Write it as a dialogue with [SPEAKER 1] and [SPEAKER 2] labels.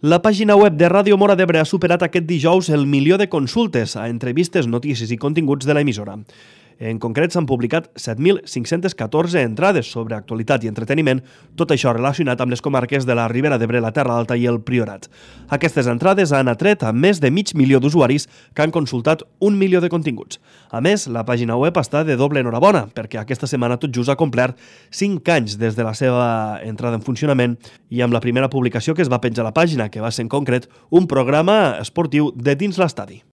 [SPEAKER 1] La pàgina web de Ràdio Móra d'Ebre ha superat aquest dijous el 1.000.000 de consultes a entrevistes, notícies i continguts de l'emissora. En concret, s'han publicat 7.514 entrades sobre actualitat i entreteniment, tot això relacionat amb les comarques de la Ribera d'Ebre, la Terra Alta i el Priorat. Aquestes entrades han atret a més de 500.000 d'usuaris que han consultat 1.000.000 de continguts. A més, la pàgina web està de doble enhorabona, perquè aquesta setmana tot just ha complert 5 anys des de la seva entrada en funcionament i amb la primera publicació que es va penjar a la pàgina, que va ser en concret un programa esportiu de dins l'estadi.